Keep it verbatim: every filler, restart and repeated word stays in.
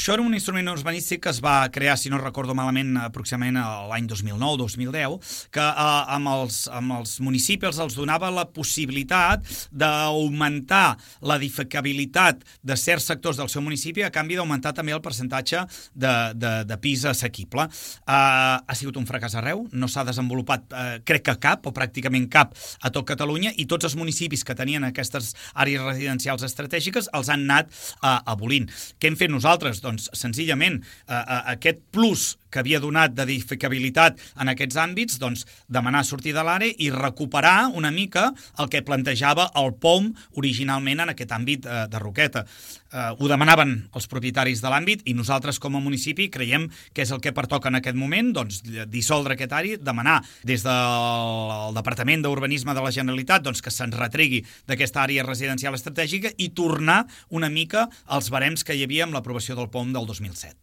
això era un instrument urbanístic que es va crear, si no recordo malament, aproximadament l'any dos mil nou dos mil deu, que eh, amb, els, amb els municipis els donava la possibilitat d'augmentar l'edificabilitat de certs sectors del seu municipi a canvi d'augmentar també el percentatge de, de, de pis assequible. Eh, ha sigut un fracàs arreu, no s'ha desenvolupat, eh, crec que cap, o pràcticament cap, a tot Catalunya, i tots els municipis que tenien aquestes àrees residencials estratègiques els han anat eh, abolint. Què hem fet nosaltres? Doncs, senzillament, eh, aquest plus que havia donat d'edificabilitat en aquests àmbits, doncs, demanar sortir de l'àrea i recuperar una mica el que plantejava el P O M originalment en aquest àmbit eh, de Roqueta. Eh, ho demanaven els propietaris de l'àmbit i nosaltres com a municipi creiem que és el que pertoca en aquest moment, doncs, dissoldre aquest àrea, demanar des del Departament d'Urbanisme de la Generalitat doncs, que se'ns retregui d'aquesta àrea residencial estratègica i tornar una mica als barems que hi havia amb l'aprovació del P O M del dos mil set.